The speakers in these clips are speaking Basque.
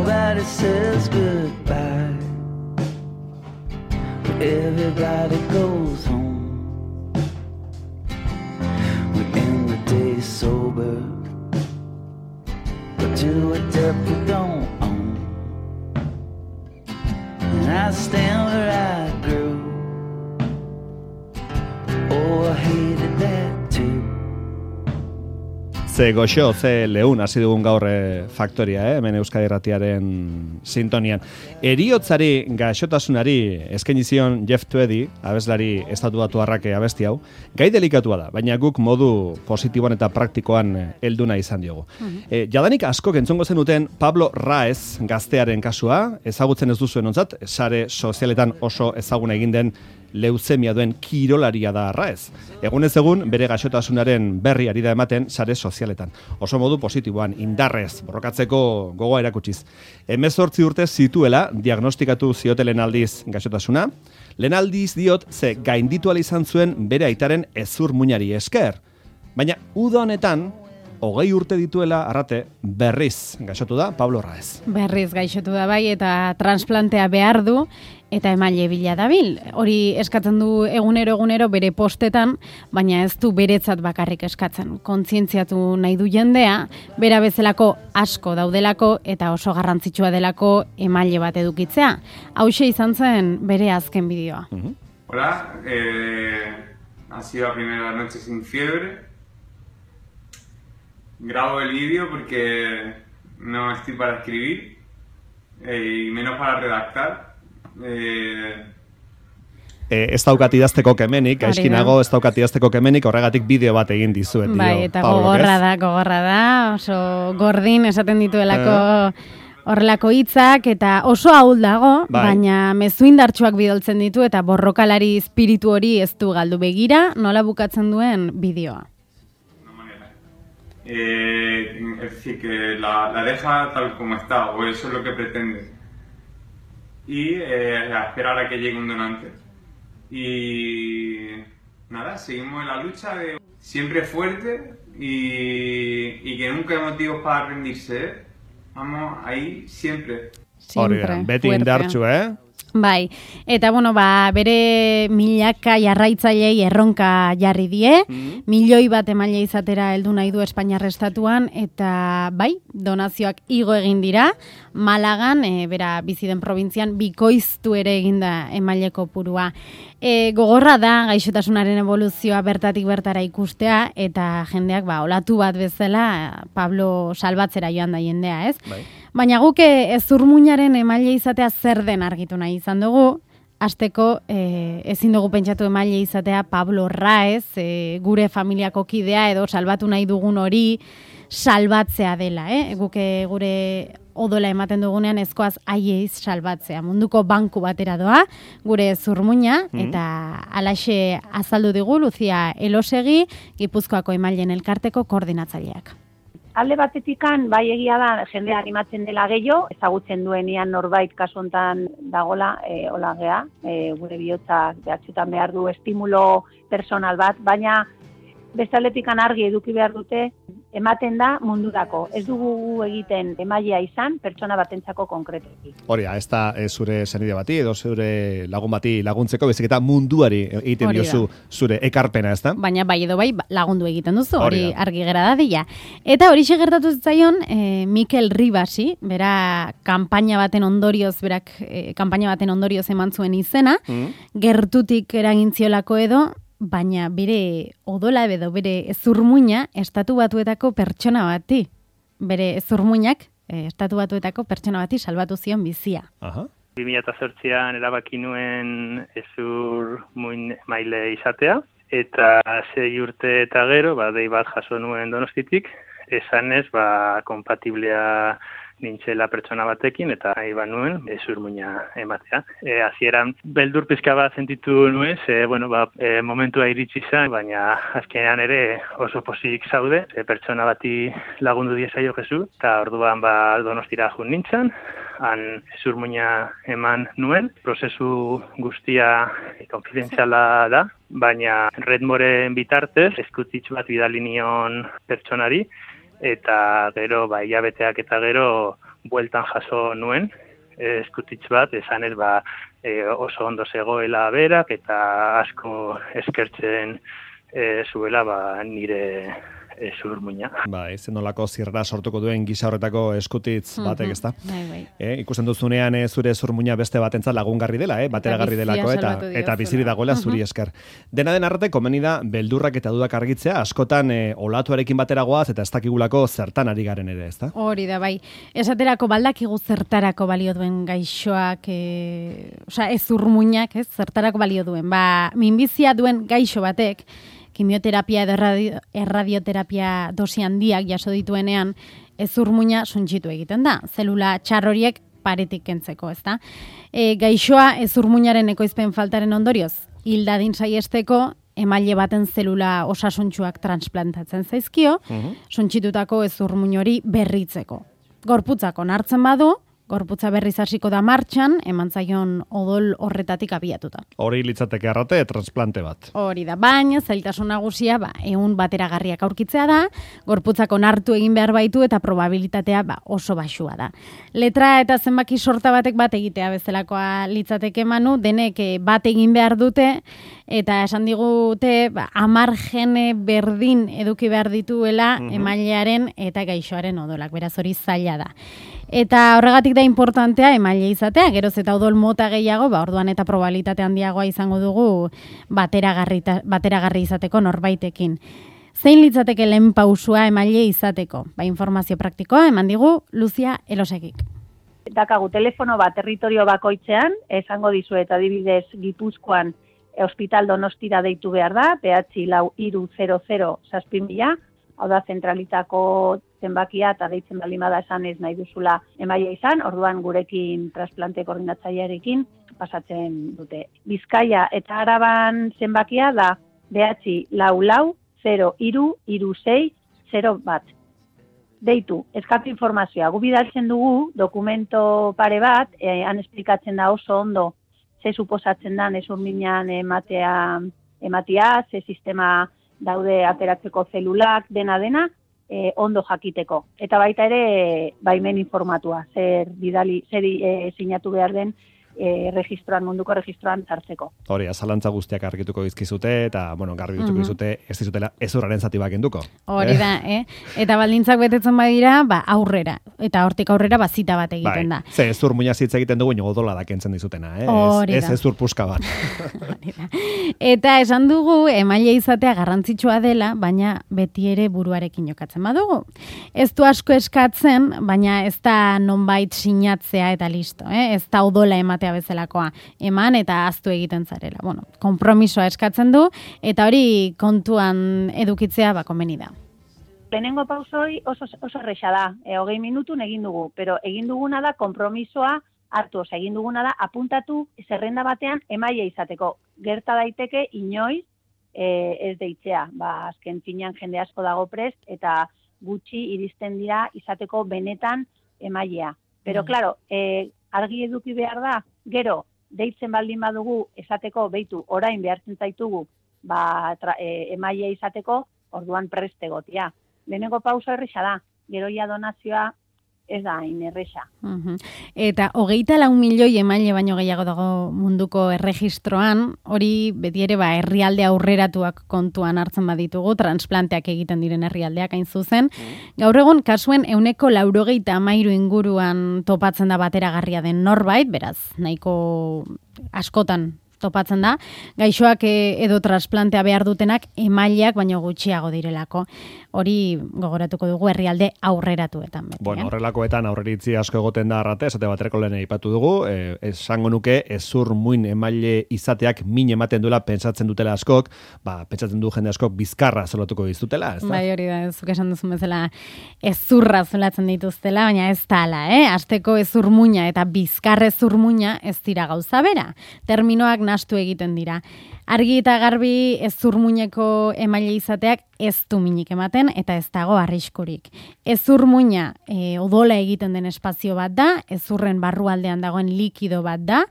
nobody says goodbye. Everybody goes home. We end the day sober, but to a debt we don't own. And I stand where I grew. Oh, I hated that too. Ze goxo, ze leun hasi dugun gaur faktoria, hemen Euskadi Irratiaren sintonian. Heriotzari gaixotasunari eskaini zion Jeff Tweedy, abeslari estatubatuarrak abesti hau, gai delikatua da, baina guk modu positiboan eta praktikoan helduna izan diogu. Jadanik askok entzongo zenuten Pablo Raez gaztearen kasua, ezagutzen ez duzuen ontzat, sare sozialetan oso ezaguna egin den leuzemia duen kirolaria da Raez. Egunez egun, bere gaixotasunaren berri ari da ematen sare sozialetan. Oso modu positiboan, indarrez, borrokatzeko gogoa erakutsiz. 18 urte zituela diagnostikatu ziotelen aldiz gaixotasuna. Lehen aldiz diot, ze gainditu ahal izan zuen bere aitaren hezur muinari esker. Baina uda honetan, 20 urte dituela arrate berriz gaixotu da Pablo Raez. Berriz gaixotu da bai eta transplantea behar du eta emaile bila dabil. Hori eskatzen du egunero bere postetan, baina ez du beretzat bakarrik eskatzen. Kontzientziatu nahi du jendea, bera bezalako asko daudelako eta oso garrantzitsua delako emaile bat edukitzea. Hauxe izan zen bere azken bideoa. Hola, ha sido la primera noche sin fiebre. Grabo el vídeo porque no estoy para escribir y menos para redactar. Ez daukat idazteko kemenik, gaizkinago ez daukat idazteko kemenik, horregatik bideo bat egin dizuet. Bai, eta gogorra da, oso gordin esaten dituelako horrelako hitzak eta oso ahul dago, baina mezu indartsuak bidaltzen ditu eta borrokalari espiritu hori ez du galdu. Begira, nola bukatzen duen bideoa. Es decir, que la deja tal como está, o eso es lo que pretende. Y a esperar a que llegue un donante. Y nada, seguimos en la lucha de siempre fuerte y que nunca hay motivos para rendirse. Vamos ahí siempre. Siempre. Beti indartsu, Bai, eta bere milaka jarraitzailei erronka jarri die, milioi bat emaile izatera heldu nahi du Espainiar estatuan, eta bai, donazioak igo egin dira, Malagan, bera bizi den probintzian, bikoiztu ere eginda emaile kopurua. Gogorra da gaixotasunaren evoluzioa bertatik bertara ikustea, eta jendeak olatu bat bezala Pablo salbatzera joan da jendea, ez? Bai. Baina guk hezurmuinaren emaile izatea zer den argitu nahi izan dugu. Hasteko ezin dugu pentsatu emaile izatea Pablo Raez, gure familiako kidea edo salbatu nahi dugun hori salbatzea dela. Guk gure odola ematen dugunean ezkoaz haiei salbatzea. Munduko banku batera doa, gure hezurmuina, eta halaxe azaldu digu Lucia Elosegi, Gipuzkoako emaileen elkarteko koordinatzaileak. Alde batetikan, bai egia da, jendea animatzen dela gehiago, ezagutzen duenean norbait kasu hontan dagola, hola gea, gure bihotzak behatxutan behar du estimulo personal bat, baina beste aldetikan argi eduki behar dute, ematen da mundurako. Ez dugu egiten emailea izan, pertsona batentzako konkretuki. Hori, ez da zure senide bati, edo zure lagun bati laguntzeko, bezik eta munduari egiten diozu zure ekarpena, ez da? Baina bai edo bai lagundu egiten duzu, hori argi gera dadila. Eta hori gertatu zitzaion Mikel Ribasi, bera kanpaina baten ondorioz, eman zuen izena, gertutik eragintziolako edo, baina bere odola edo bere hezurmuina Estatu Batuetako pertsona bati. Bere hezurmuinak Estatu Batuetako pertsona bati salbatu zion bizia. 2008an erabaki nuen hezurmuin maile izatea, eta 6 urte eta gero, dei bat jaso nuen Donostitik, esanez, kompatiblea nintzela pertsona batekin, eta nahi nuen hezurmuina ematea. Hasieran beldur pizka bat sentitu nuen, momentua iritsi zen, baina azkenean ere oso pozik zaude, pertsona bati lagundu diezaio Jesu, eta orduan Donostira jun nintzen, han hezurmuina eman nuen, prozesu guztia konfidentziala da, baina Redmoren bitartez, eskutitz bat bidali nion pertsonari, eta gero, hilabeteak eta gero, bueltan jaso nuen, eskutitz bat, esanez oso ondo zegoela berak, eta asko eskertzen zuela nire zurmuina. Bai, zenolako zirra sortuko duen gisa horretako eskutitz batek, ezta? Bai. Ikusten duzunean zure zurmuina beste batentzat lagungarri dela, bateragarri delako, eta biziri dagoela zuri esker. Dena den arrate, komeni da, beldurrak eta dudak argitzea, askotan olatuarekin batera goaz, eta ez dakigulako zertan ari garen ere, ezta? Hori da, bai. Esaterako baldakigu zertarako balio duen gaixoak, ez zurmuinak, zertarako balio duen. Minbizia duen gaixo batek, kimioterapia edo erradioterapia dosi handiak jaso dituenean, ezurmuina suntsitu egiten da. Zelula txar horiek paretik kentzeko, ezta? Gaixoa ezurmuinaren ekoizpen faltaren ondorioz, hil dadin saiesteko, emaile baten zelula osasuntsuak transplantatzen zaizkio, suntsitutako ezurmuin hori berritzeko. Gorputzak onartzen badu, gorputza berriz hasiko da martxan, eman zaion odol horretatik abiatuta. Hori litzateke arrate, transplante bat. Hori da, baina zailtasun nagusia, ehun bateragarriak aurkitzea da, gorputzak onartu egin behar baitu eta probabilitatea oso baxua da. Letra eta zenbaki sorta batek bat egitea bezalakoa litzateke manu, denek bat egin behar dute, eta esan digute 10 gene berdin eduki behar dituela emailearen eta gaixoaren odolak, beraz hori zaila da. Eta horregatik da importantea emaile izatea, geroz eta odol mota gehiago, orduan eta probabilitate handiagoa izango dugu bateragarri izateko norbaitekin. Zein litzateke lehen pausua emaile izateko? Informazio praktikoa eman digu Luzia Elosegik. Dakagu telefono bat territorio bakoitzean, esango dizuet adibidez Gipuzkoan Hospital Donostira deitu behar da, behatzi 4300 000, hau da zentralitako zenbakia eta deitzen baldin bada esan ez nahi duzula emaia izan, orduan gurekin transplante koordinatzailearekin pasatzen dute. Bizkaia eta Araban zenbakia da behatzi 44 Deitu, eskatu informazioa. Gu bidaltzen dugu dokumento pare bat, han esplikatzen da oso ondo ze suposatzen da ezurminan ematea, ze sistema daude ateratzeko zelulak, dena, ondo jakiteko. Eta baita ere, baimen informatua, zer sinatu behar den registroan, munduko registroan sartzeko. Hori, azalantza guztiak argituko dizkizute, eta, garbi dituko dizute, ez dizutela ezurraren zati bat kenduko. Hori da, Eta baldintzak betetzen badira, aurrera. Eta hortik aurrera, zita bat egiten da. Ze, ezur muina zitza egiten dugu, odola da kentzen dizutena, Ez ezur puska bat. Eta esan dugu, emaile izatea garrantzitsua dela, baina beti ere buruarekin jokatzen badugu. Ez du asko eskatzen, baina ez da nonbait sinatzea eta listo, Ez da odola ematea bezalakoa, eman eta aztu egiten zarela. Konpromisoa eskatzen du, eta hori kontuan edukitzea komeni da. Lehenengo pausoi oso erresa da, 20 minutun egin dugu, pero egin duguna da konpromisoa hartu, egin duguna da apuntatu zerrenda batean emaile izateko. Gerta daiteke inoiz ez deitzea, azken finean jende asko dago prest, eta gutxi iristen dira izateko benetan emailea. Pero, claro, argi eduki behar da, gero, deitzen baldin badugu esateko, beitu, orain behartzen zaitugu, emaile izateko, orduan preste gotia. Lehenengo pausa erresa da, gero ja donazioa ez da inerresa. Eta 24 milioi emaile baino gehiago dago munduko erregistroan, hori beti ere herrialde aurreratuak kontuan hartzen baditugu, transplanteak egiten diren herrialdeak hain zuzen. Gaur egun kasuen 93 inguruan topatzen da bateragarria den norbait, beraz, nahiko askotan topatzen da, gaixoak edo transplantea behar dutenak emaileak baino gutxiago direlako. Hori gogoratuko dugu herrialde aurreratuetan. Horrelakoetan aurreritzi asko egoten da arrate, esate baterako lehen aipatu dugu, esango nuke ezur muin emaile izateak min ematen duela pentsatzen dutela askok, pentsatzen du jende askok bizkarra zolatuko dizutela, ez da? Bai, hori da, zuk esan duzun bezala ezurra zolatzen dituztela, baina ez da ala, Asteko ezur muina eta bizkarre ezur muina ez dira gauza bera. Terminoak nahastu egiten dira. Argi eta garbi ezurmuineko emaile izateak ez du minik ematen eta ez dago arriskurik. Ezurmuina odola egiten den espazio bat da, ezurren barrualdean dagoen likido bat da,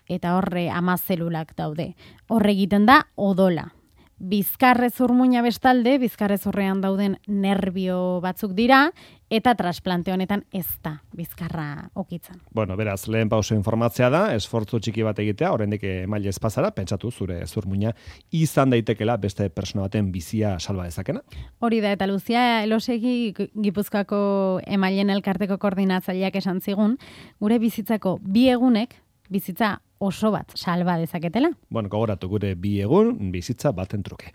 eta horre 10 zelulak daude. Horre egiten da odola. Bizkarrezur-muina bestalde, bizkarrezurrean dauden nerbio batzuk dira, eta trasplante honetan ez da bizkarra okitzen. Bueno, beraz, lehen pauso informatzea da, esfortzu txiki bat egitea, oraindik emaile ez pasara, pentsatu zure zurmuina izan daitekela beste persona baten bizia salba dezakena. Hori da, eta Luzia Elosegi Gipuzkoako emailen elkarteko koordinatzaileak esan zigun, gure bizitzako 2 egunek, bizitza oso bat salba dezaketela. Bueno, gogoratu gure 2 egun bizitza baten truke.